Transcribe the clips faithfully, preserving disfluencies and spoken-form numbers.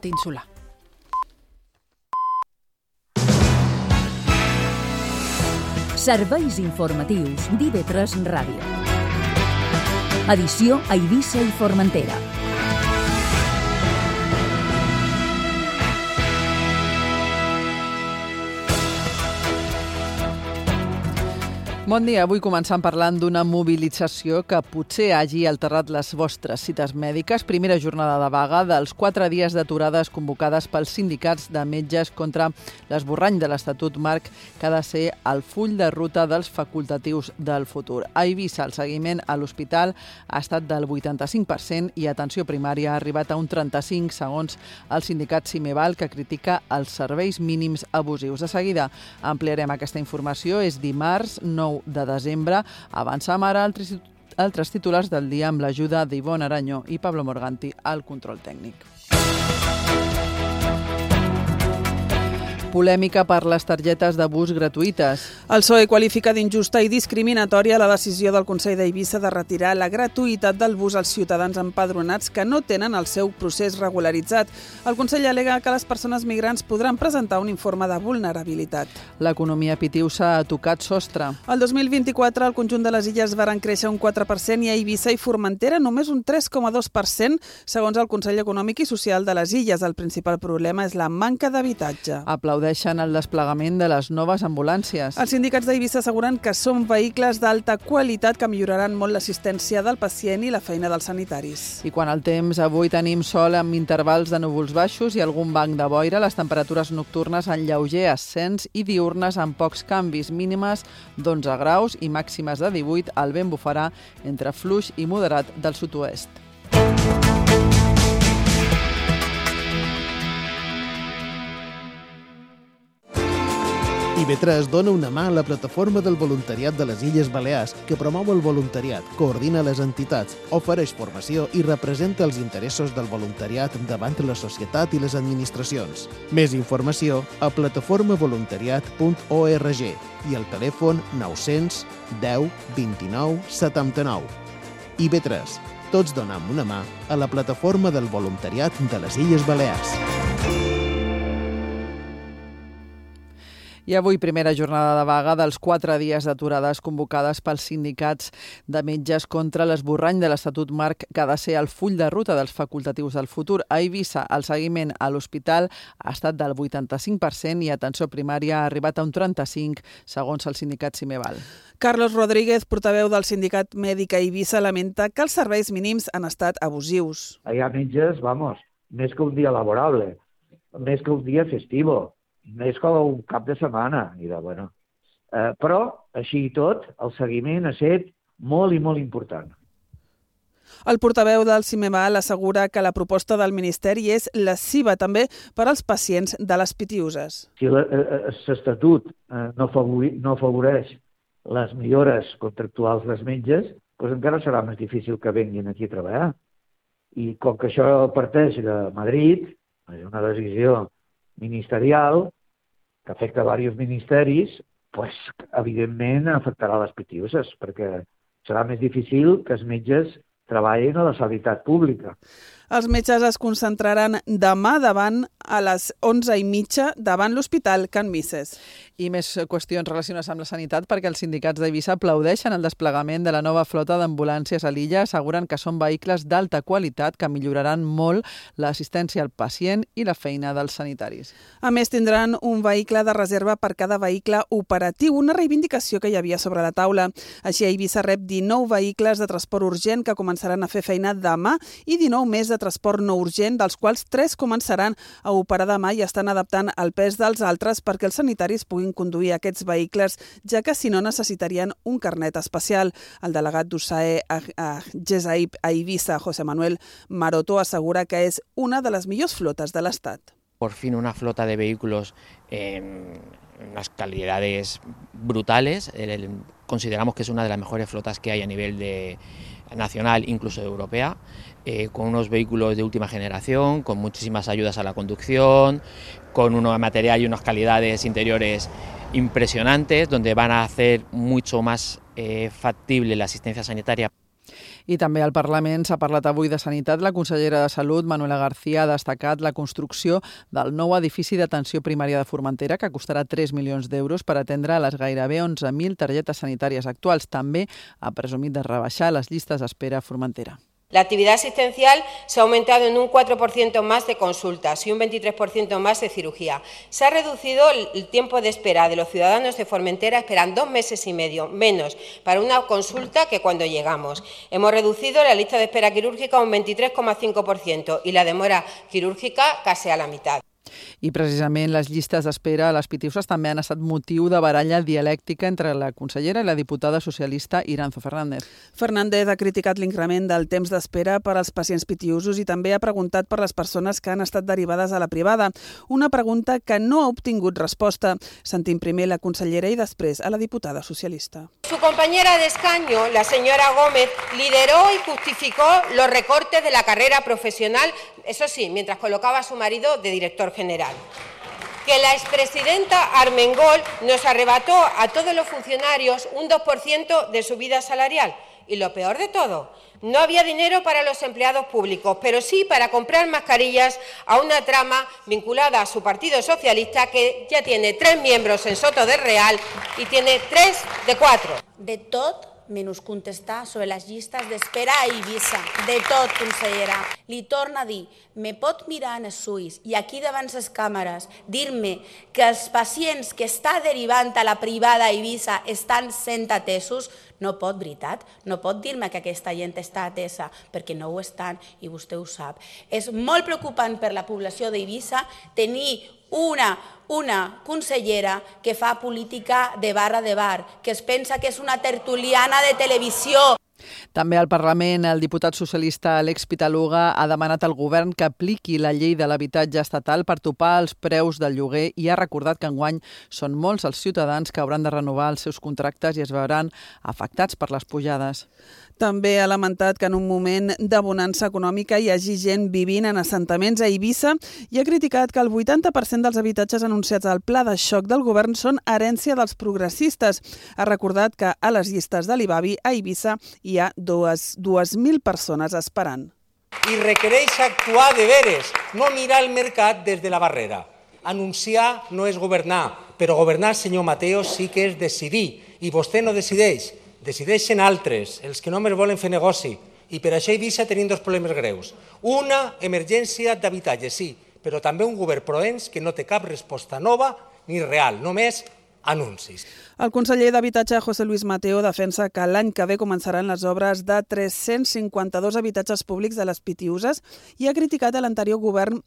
península. Serveis informatius d'I V tres Ràdio. Edició a Eivissa i Formentera. Bon dia. Avui començant parlant d'una mobilització que potser hagi alterat les vostres cites mèdiques. Primera jornada de vaga dels quatre dies d'aturades convocades pels sindicats de metges contra l'esborrany de l'Estatut Marc que ha de ser el full de ruta dels facultatius del futur. A Eivissa, el seguiment a l'hospital ha estat del vuitanta-cinc per cent i atenció primària ha arribat a un trenta-cinc, segons el sindicat Cimeval, que critica els serveis mínims abusius. De seguida ampliarem aquesta informació. És dimarts, nou de desembre. Avançam ara altres, altres titulars del dia amb l'ajuda d'Ivonne Aranyó i Pablo Morganti al control tècnic. Polèmica per les targetes de bus gratuïtes. El P S O E qualifica d'injusta i discriminatòria la decisió del Consell d'Eivissa de retirar la gratuïtat del bus als ciutadans empadronats que no tenen el seu procés regularitzat. El Consell al·lega que les persones migrants podran presentar un informe de vulnerabilitat. L'economia pitiusa ha tocat sostre. El dos mil vint-i-quatre el conjunt de les illes varen créixer un quatre per cent i a Eivissa i Formentera només un tres coma dos per cent, segons el Consell Econòmic i Social de les Illes. El principal problema és la manca d'habitatge. Aplaudeixen el desplegament de les noves ambulàncies. Els sindicats d'Eivissa asseguren que són vehicles d'alta qualitat que milloraran molt l'assistència del pacient i la feina dels sanitaris. I quan el temps, avui tenim sol amb intervals de núvols baixos i algun banc de boira, les temperatures nocturnes en lleuger ascens i diurnes amb pocs canvis, mínimes d'onze graus i màximes de divuit. El vent bufarà entre fluix i moderat del sud-oest. I V tres dona una mà a la plataforma del voluntariat de les Illes Balears, que promou el voluntariat, coordina les entitats, ofereix formació i representa els interessos del voluntariat davant la societat i les administracions. Més informació a plataforma voluntariat punt org i al telèfon nou cents deu vint-i-nou setanta-nou. I V tres. Tots donem una mà a la plataforma del voluntariat de les Illes Balears. I avui primera jornada de vaga dels quatre dies d'aturades convocades pels sindicats de metges contra l'esborrany de l'Estatut Marc que ha de ser el full de ruta dels facultatius del futur. A Eivissa, el seguiment a l'hospital ha estat del vuitanta-cinc per cent i atenció primària ha arribat a un trenta-cinc, segons el sindicat Cimeval. Carlos Rodríguez, portaveu del sindicat mèdic a Eivissa, lamenta que els serveis mínims han estat abusius. Hi ha metges, vamos, més que un dia laborable, més que un dia festivo, més com un cap de setmana. I de, bueno. eh, però, així i tot, el seguiment ha estat molt i molt important. El portaveu del Cimeval assegura que la proposta del Ministeri és lesiva també per als pacients de les pitiuses. Si l'Estatut eh, no, favori, no afavoreix les millores contractuals dels metges, doncs encara serà més difícil que venguin aquí a treballar. I com que això parteix de Madrid, és una decisió ministerial que afecta a diversos ministeris, pues, evidentment afectarà les pitiuses, perquè serà més difícil que els metges treballin a la sanitat pública. Els metges es concentraran demà davant a les onze i mitja davant l'Hospital Can Misses. I més qüestions relacionades amb la sanitat, perquè els sindicats d'Eivissa aplaudeixen el desplegament de la nova flota d'ambulàncies a l'illa, asseguren que són vehicles d'alta qualitat que milloraran molt l'assistència al pacient i la feina dels sanitaris. A més, tindran un vehicle de reserva per cada vehicle operatiu, una reivindicació que hi havia sobre la taula. Així, Eivissa rep dinou vehicles de transport urgent que començaran a fer feina demà i dinou més de transport no urgent, dels quals tres començaran a operar demà i estan adaptant el pes dels altres perquè els sanitaris puguin conduir aquests vehicles, ja que si no necessitarien un carnet especial. El delegat d'U S A E a Gesaip a Eivissa, José Manuel Maroto, assegura que és una de les millors flotes de l'Estat. Por fin una flota de vehículos en unas calidades brutales. El, consideramos que es una de las mejores flotas que hay a nivel de nacional, incluso europea, eh, con unos vehículos de última generación, con muchísimas ayudas a la conducción, con un material y unas calidades interiores impresionantes, donde van a hacer mucho más eh, factible la asistencia sanitaria. I també al Parlament s'ha parlat avui de sanitat. La consellera de Salut, Manuela García, ha destacat la construcció del nou edifici d'atenció primària de Formentera, que costarà tres milions d'euros per atendre les gairebé onze mil targetes sanitàries actuals. També ha presumit de rebaixar les llistes d'espera a Formentera. La actividad asistencial se ha aumentado en un cuatro por ciento más de consultas y un veintitrés por ciento más de cirugía. Se ha reducido el tiempo de espera de los ciudadanos de Formentera, esperan dos meses y medio menos para una consulta que cuando llegamos. Hemos reducido la lista de espera quirúrgica un veintitrés coma cinco por ciento y la demora quirúrgica casi a la mitad. I precisament les llistes d'espera a les Pitiuses també han estat motiu de baralla dialèctica entre la consellera i la diputada socialista Iranzo Fernández. Fernández ha criticat l'increment del temps d'espera per als pacients pitiusos i també ha preguntat per les persones que han estat derivades a la privada. Una pregunta que no ha obtingut resposta. Sentim primer la consellera i després a la diputada socialista. Su compañera de escaño, la señora Gómez, lideró y justificó los recortes de la carrera profesional, eso sí, mientras colocaba a su marido de director general. Que la expresidenta Armengol nos arrebató a todos los funcionarios un dos por ciento de subida salarial. Y lo peor de todo, no había dinero para los empleados públicos, pero sí para comprar mascarillas a una trama vinculada a su Partido Socialista, que ya tiene tres miembros en Soto del Real y tiene tres de cuatro. De tot menys contestar sobre les llistes d'espera a Eivissa. De tot, consellera. Li torna a dir, me pot mirar en els ulls i aquí davant les càmeres dir-me que els pacients que està derivant a la privada a Eivissa estan sent atesos? No pot, veritat? No pot dir-me que aquesta gent està atesa, perquè no ho estan i vostè ho sap. És molt preocupant per la població d'Eivissa tenir una, una consellera que fa política de barra de bar, que es pensa que és una tertuliana de televisió. També al Parlament, el diputat socialista Alex Pitaluga ha demanat al govern que apliqui la llei de l'habitatge estatal per topar els preus del lloguer i ha recordat que enguany són molts els ciutadans que hauran de renovar els seus contractes i es veuran afectats per les pujades. També ha lamentat que en un moment de bonança econòmica hi hagi gent vivint en assentaments a Eivissa i ha criticat que el vuitanta per cent dels habitatges anunciats al pla de xoc del govern són herència dels progressistes. Ha recordat que a les llistes de l'I B A B I a Eivissa hi ha dues mil persones esperant. I requereix actuar de veres, no mirar el mercat des de la barrera. Anunciar no és governar, però governar, senyor Mateo, sí que és decidir. I vostè no decideix. Decideixen altres, els que només volen fer negoci. I per això Eivissa tenim dos problemes greus. Una, emergència d'habitatge, sí, però també un govern proens que no té cap resposta nova ni real, només anuncis. El conseller d'Habitatge, José Luis Mateo, defensa que l'any que ve començaran les obres de tres-cents cinquanta-dos habitatges públics de les Pitiuses i ha criticat a l'anterior govern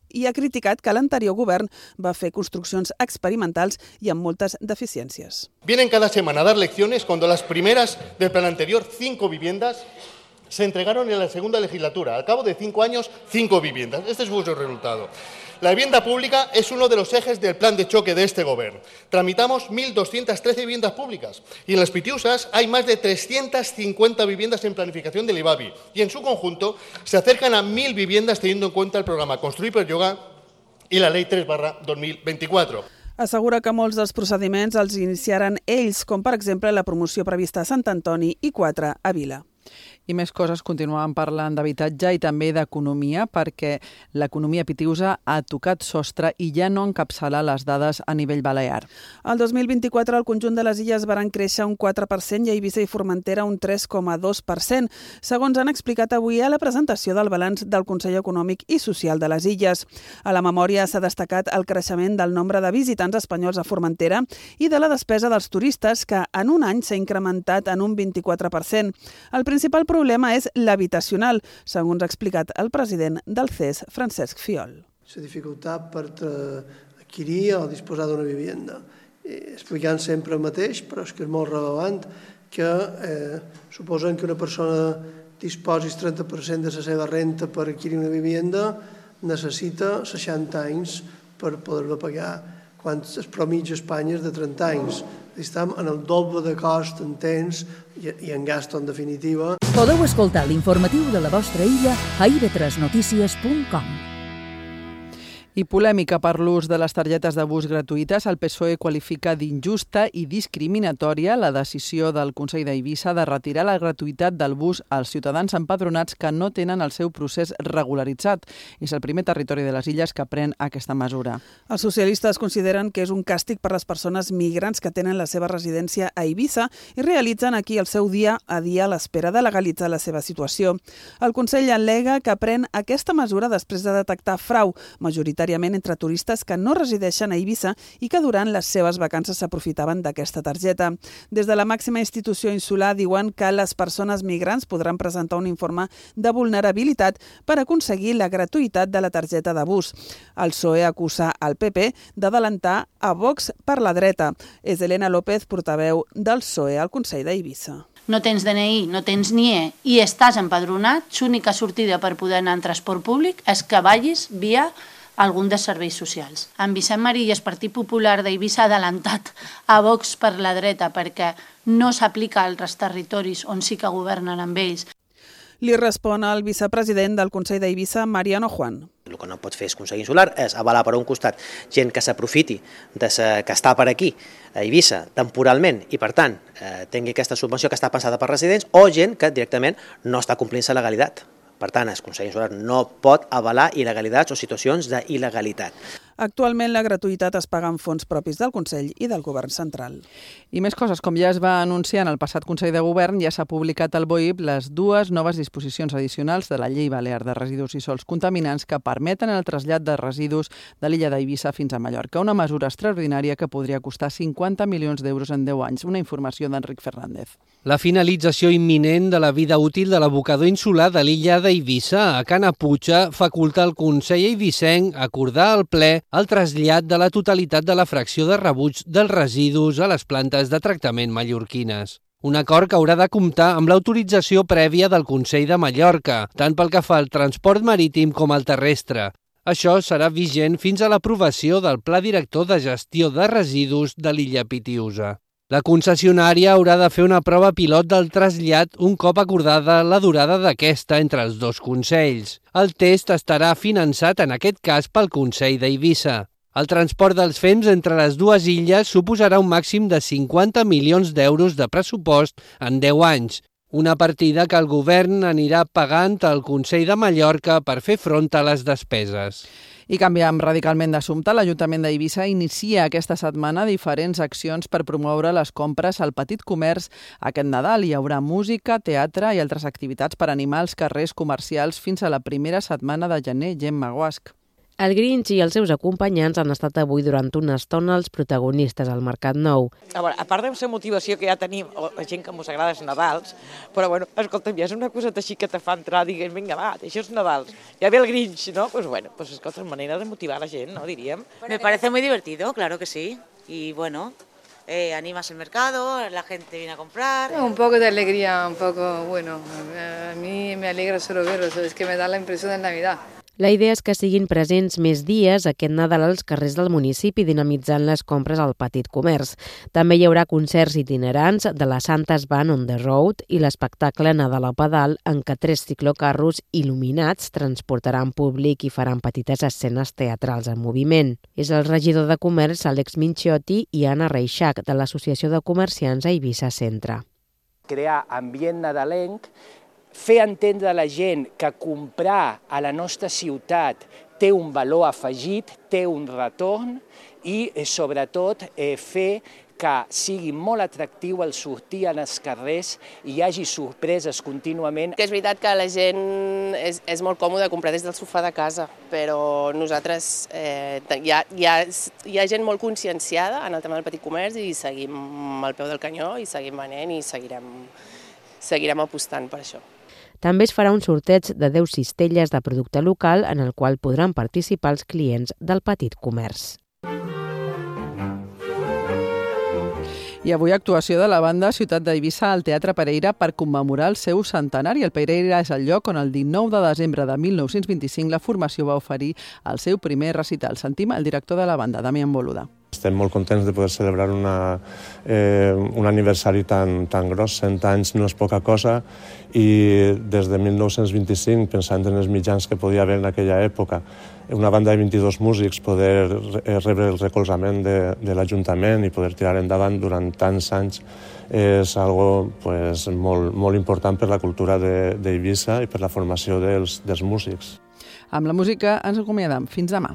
i ha criticat que l'anterior govern va fer construccions experimentals i amb moltes deficiències. Vienen cada semana a dar lecciones cuando las primeras del plan anterior, cinco viviendas, se entregaron en la segunda legislatura. Al cabo de cinco años, cinco viviendas. Este es vuestro resultado. La vivienda pública es uno de los ejes del plan de choque de este gobierno. Tramitamos mil doscientas trece viviendas públicas y en las Pitiusas hay más de trescientas cincuenta viviendas en planificación del I B A B I y en su conjunto se acercan a mil viviendas teniendo en cuenta el programa Construir per Llogar i la Ley tres barra dos mil veinticuatro. Assegura que molts dels procediments els iniciaran ells, com per exemple la promoció prevista a Sant Antoni i quatre a Vila. I més coses, continuaven parlant d'habitatge i també d'economia, perquè l'economia pitiusa ha tocat sostre i ja no encapçala les dades a nivell balear. El dos mil vint-i-quatre el conjunt de les illes van créixer un quatre per cent i a Eivissa i Formentera un tres coma dos per cent, segons han explicat avui a la presentació del balanç del Consell Econòmic i Social de les Illes. A la memòria s'ha destacat el creixement del nombre de visitants espanyols a Formentera i de la despesa dels turistes, que en un any s'ha incrementat en un vint-i-quatre per cent. El principal problema El problema és l'habitacional, segons ha explicat el president del C E S, Francesc Fiol. La dificultat per adquirir o disposar d'una vivenda. Explicant sempre el mateix, però és que és molt relevant que eh, suposen que una persona disposi el trenta per cent de la seva renta per adquirir una vivenda necessita seixanta anys per poder-la pagar, quan el promigi a Espanya és de trenta anys. Estem en el doble de cost en temps i en gasto, en definitiva. Podeu escoltar l'informatiu de la vostra illa a i ve tres notícies punt com. I polèmica per l'ús de les targetes de bus gratuïtes. El P S O E qualifica d'injusta i discriminatòria la decisió del Consell d'Eivissa de retirar la gratuïtat del bus als ciutadans empadronats que no tenen el seu procés regularitzat. És el primer territori de les illes que pren aquesta mesura. Els socialistes consideren que és un càstig per les persones migrants que tenen la seva residència a Eivissa i realitzen aquí el seu dia a dia a l'espera de legalitzar la seva situació. El Consell al·lega que pren aquesta mesura després de detectar frau, majoritàriament entre turistes que no resideixen a Eivissa i que durant les seves vacances s'aprofitaven d'aquesta targeta. Des de la màxima institució insular diuen que les persones migrants podran presentar un informe de vulnerabilitat per aconseguir la gratuïtat de la targeta de bus. El P S O E acusa al P P d'adelantar a Vox per la dreta. És Elena López, portaveu del P S O E al Consell d'Eivissa. No tens D N I, no tens N I E i estàs empadronat, l'única sortida per poder anar en transport públic és que vagis via algun dels serveis socials. En Vicent Marillas, Partit Popular d'Eivissa, ha adelantat a Vox per la dreta perquè no s'aplica a altres territoris on sí que governen amb ells. Li respon el vicepresident del Consell d'Eivissa, Mariano Juan. El que no pot fer és Consell Insular és avalar per un costat gent que s'aprofiti de sa, que està per aquí a Eivissa temporalment i per tant eh, tingui aquesta subvenció que està pensada per residents o gent que directament no està complint la legalitat. Per tant, el Consell Insular no pot avalar il·legalitats o situacions d'il·legalitat. Actualment la gratuïtat es paga amb fons propis del Consell i del Govern central. I més coses, com ja es va anunciar en el passat Consell de Govern, ja s'ha publicat al B O I P les dues noves disposicions addicionals de la Llei Balear de Residus i Sòls Contaminants que permeten el trasllat de residus de l'illa d'Eivissa fins a Mallorca, una mesura extraordinària que podria costar cinquanta milions d'euros en deu anys. Una informació d'Enric Fernández. La finalització imminent de la vida útil de l'abocador insular de l'illa d'Eivissa a Canaputxa faculta al Consell eivissenc acordar al ple el trasllat de la totalitat de la fracció de rebuig dels residus a les plantes de tractament mallorquines. Un acord que haurà de comptar amb l'autorització prèvia del Consell de Mallorca, tant pel que fa al transport marítim com al terrestre. Això serà vigent fins a l'aprovació del Pla Director de Gestió de Residus de l'illa Pitiusa. La concessionària haurà de fer una prova pilot del trasllat un cop acordada la durada d'aquesta entre els dos consells. El test estarà finançat en aquest cas pel Consell d'Eivissa. El transport dels fems entre les dues illes suposarà un màxim de cinquanta milions d'euros de pressupost en deu anys, una partida que el govern anirà pagant al Consell de Mallorca per fer front a les despeses. I canviem radicalment d'assumpte. L'Ajuntament d'Eivissa inicia aquesta setmana diferents accions per promoure les compres al petit comerç aquest Nadal. Hi haurà música, teatre i altres activitats per animar els carrers comercials fins a la primera setmana de gener. Gemma Guasc. El Grinch i els seus acompanyants han estat avui durant una estona els protagonistes al Mercat Nou. A, veure, a part de la motivació que ja tenim, o la gent que ens agrada els Nadals, però bueno, escolta'm, ja és una coseta així que te fa entrar, digues, vinga, va, això és Nadals, ja ve el Grinch, ¿no? Pues bueno, pues escolta, manera de motivar a la gent, ¿no? Diríem. Me parece muy divertido, claro que sí, y bueno, eh, animas el mercado, la gente viene a comprar. Un poco de alegría, un poco, bueno, a mí me alegra solo verlos, es que me da la impresión de Navidad. La idea és que siguin presents més dies aquest Nadal als carrers del municipi, dinamitzant les compres al petit comerç. També hi haurà concerts itinerants de la Santa's Band on the Road i l'espectacle Nadal a Pedal, en què tres ciclocarros il·luminats transportaran públic i faran petites escenes teatrals en moviment. És el regidor de Comerç, Àlex Minchiotti, i Anna Reixac, de l'Associació de Comerciants a Eivissa Centre. Crear ambient nadalenc, fer entendre a la gent que comprar a la nostra ciutat té un valor afegit, té un retorn i, sobretot, eh, fer que sigui molt atractiu el sortir als carrers i hi hagi sorpreses contínuament. És veritat que la gent és, és molt còmode comprar des del sofà de casa, però nosaltres eh, hi, ha, hi, ha, hi ha gent molt conscienciada en el tema del petit comerç i seguim al peu del canyó i seguim venent i seguirem, seguirem apostant per això. També es farà un sorteig de deu cistelles de producte local en el qual podran participar els clients del petit comerç. I avui actuació de la banda Ciutat d'Eivissa al Teatre Pereira per commemorar el seu centenari. El Pereira és el lloc on el dinou de desembre de mil nou-cents vint-i-cinc la formació va oferir el seu primer recital. Sentim el director de la banda, Damián Boluda. Estem molt contents de poder celebrar una, eh, un aniversari tan, tan gros, cent anys no és poca cosa, i des de mil nou-cents vint-i-cinc, pensant en els mitjans que podia haver en aquella època, una banda de vint-i-dos músics poder rebre el recolzament de, de l'Ajuntament i poder tirar endavant durant tants anys és algo pues, molt, molt important per la cultura d'Eivissa i per la formació dels, dels músics. Amb la música ens acomiadem. Fins demà.